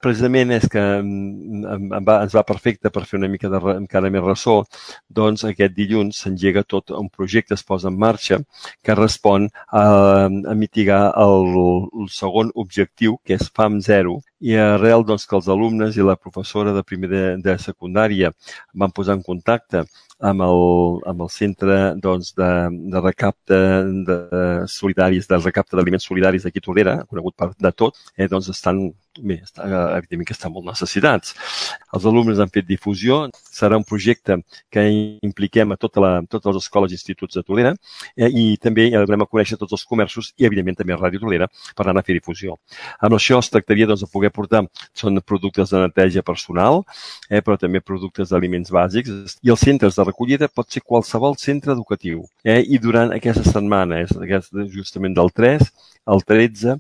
precisament és que ens va perfecte per fer una mica encara més ressò, doncs aquest dilluns s'engega tot un projecte, es posa en marxa, que respon a mitigar el segon objectiu, que és FAM 0, i arrel doncs, que els alumnes i la professora de primer de secundària van posar en contacte amb el centre doncs, de recapte de recapte d'aliments solidaris d'aquí a Tordera, conegut de tot, doncs evidentment que estan molt necessitats. Els alumnes han fet difusió, serà un projecte que impliquem a totes les escoles i instituts de Tordera i també donem a conèixer tots els comerços i evidentment també a Ràdio Tordera per anar a fer difusió. Amb això es tractaria doncs, de poder portar, són productes de neteja personal, però també productes d'aliments bàsics i els centres de recollida pot ser qualsevol centre educatiu. I durant aquesta setmana, justament del 3 al 13